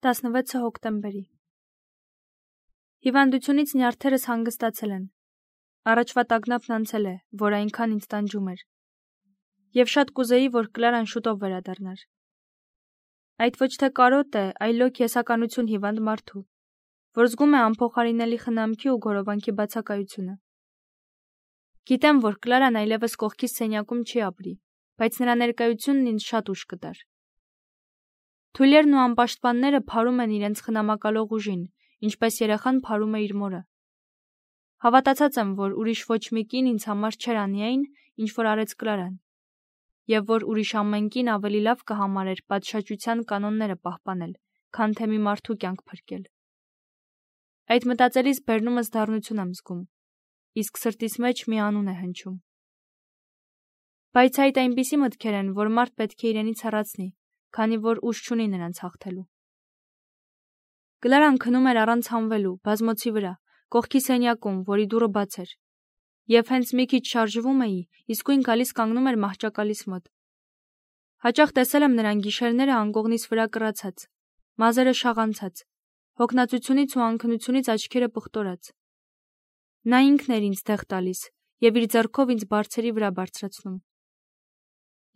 16 հոկտեմբերի Հիվանդությունից նյարդերս հանգստացել են, առաջվա տագնապն անցել է, որ այնքան ինձ տանջում էր, և շատ կուզեի, որ Կլարան շուտով վերադառնար։ Այդ ոչ թե կարոտ է, այլոք եսականություն հիվանդ մարդու, որ զգում է անփոխարինելի խնամքի ու գորովանքի բացակայությունը։ Գիտեմ, որ Կլարան այլևս կողքիս սենյակում չի ապրի, բայց նրա ներկայությունն ինձ շատ ուժ կտար։ Թույլերն ու անպաշտպանները փարում են իրենց խնամակալող ուժին, ինչպես երեխան փարում է իր մորը։ Հավատացած եմ, որ ուրիշ ոչ մի կին ինձ համար չէր անի այն, ինչ որ արեց Կլարան, և որ ուրիշ ամեն կին ավելի լավ կհամարեր պատշաճության կանոնները պահպանել, քան թե մի մարդու կյանք փրկել։ Այդ մտածելիս բերնումս դառնություն եմ զգում, իսկ սրտիս մեջ մի անուն է հնչում։ Բայց այդ այնպիսի մտքեր են, որ մարդ պետք է իրենից հեռացնի, քանի որ ուժ չունի նրանց հաղթելու։ Կլարան քնում էր առանց հանվելու, բազմոցի վրա, կողքի սենյակում, որի դուռը բաց էր, և հենց մի քիչ շարժվում էի, իսկույն գալիս կանգնում էր մահճակալիս մոտ։ Հաճախ տեսել եմ նրան գիշերները անկողնիս վրա կռացած, մազերը շաղանցած, հոգնածությունից ու անքնությունից աչքերը պղտորած։ Նա ինքն էր ինձ դեղ տալիս և իր ձեռքով ինձ բարձերի վրա բարձրացնում։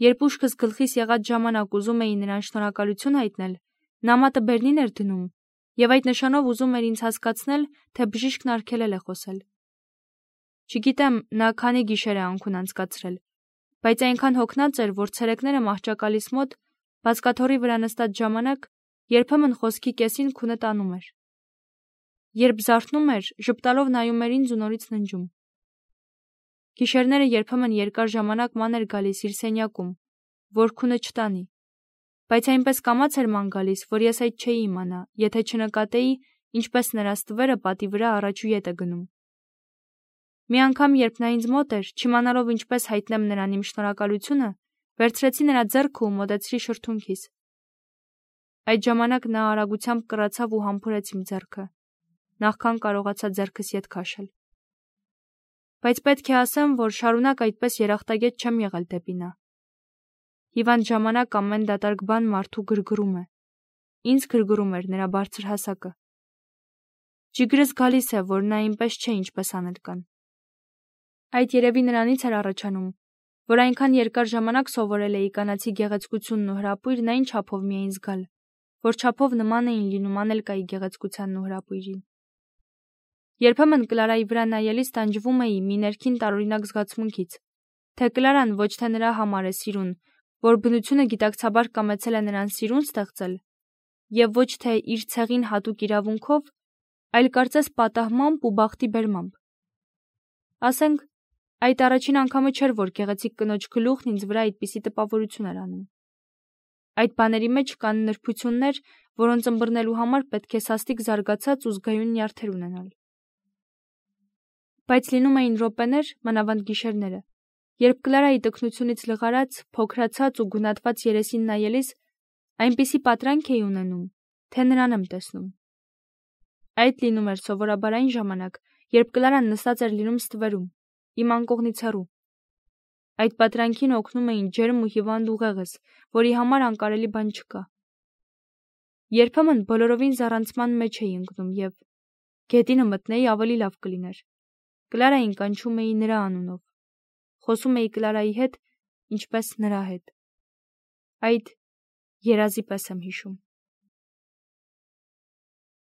Երբ ուշքս գլխիս եղած ժամանակ ուզում էի նրան շնորհակալություն հայտնել, նա մատը բերնին էր դնում և այդ նշանով ուզում էր ինձ հասկացնել, թե բժիշկն արգելել է խոսել։ Չգիտեմ, նա քանի գիշեր է անքուն անցկացրել, բայց այնքան հոգնած էր, որ ցերեկները մահճակալիս մոտ, բազկաթոռի վրա նստած ժամանակ, երբեմն խոսքի կեսին քունը տանում էր։ Երբ զարթնում էր, ժպտալով նայում էր ինձ ու նորից ննջում։ Գիշերները երբեմն երկար ժամանակ ման էր գալիս իր սենյակում, որ քունը չտանի, բայց այնպես կամաց էր ման գալիս, որ ես այդ չէի իմանա, եթե չնկատեի, ինչպես նրա ստվերը պատի վրա առաջ ու ետ է գնում։ Մի անգամ, երբ նա ինձ մոտ էր, չիմանալով ինչպես հայտնեմ նրան իմ շնորհակալությունը, վերցրեցի նրա ձեռքը ու մոտեցրի շրթունքիս։ Այդ ժամանակ նա արագությամբ կռացավ ու համբուրեց իմ ձեռքը, նախքան կարողացա ձեռքս ետ քաշել։ Բայց պետք է ասեմ, որ շարունակ այդպես երախտագետ չեմ եղել դեպի նա։ Հիվանդ ժամանակ ամեն դատարկ բան մարդու գրգռում է։ Ինձ գրգռում էր նրա բարձր հասակը։ Ջիգրս գալիս է, որ նա այնպես չէ, ինչպես անել կան։ Այդ երևի նրանից էր առաջանում, որ այնքան երկար ժամանակ սովորել էի կանացի գեղեցկությունն ու հրապույրն այն չափով միայն զգալ, որ չափով նման էին լինում Անելկայի գեղեցկությանն ու հրապույրին։ Երբեմն Կլարայի վրա նայելիս տանջվում էի մի ներքին տարօրինակ զգացմունքից, թե Կլարան ոչ թե նրա համար է սիրուն, որ բնությունը գիտակցաբար կամեցել է նրան սիրուն ստեղծել, և ոչ թե իր ցեղին հատուկ իրավունքով, այլ կարծես պատահմամբ ու բախտի բերմամբ։ Ասենք, այդ առաջին անգամը չէր, որ գեղեցիկ կնոջ գլուխն ինձ վրա այդպիսի տպավորություն էր անում։ Այդ բաների մեջ կան նրբություններ, որոնց ըմբռնելու համար պետք է սաստիկ զարգացած ու զգայուն նյարդեր ունենալ։ Բայց լինում էին րոպեներ, մանավանդ գիշերները, երբ Կլարայի տքնությունից լղարած, փոքրացած ու գունատված երեսին նայելիս, այնպիսի պատրանք էի ունենում, թե նրան եմ տեսնում։ Այդ լինում էր սովորաբար այն ժամանակ, երբ Կլարան նստած էր լինում ստվերում, իմ անկողնից հեռու։ Այդ պատրանքին օգնում էին ջերմ ու հիվանդ ուղեղս, որի համար անկարելի բան չկա։ Երբեմն բոլորովին զառանցման մեջ էի ընկնում և գետինը մտնեի ավելի լավ կլիներ։ Կլարային կանչում էի նրա անունով։ Խոսում էի Կլարայի հետ, ինչպես նրա հետ։ Այդ երազի պես եմ հիշում։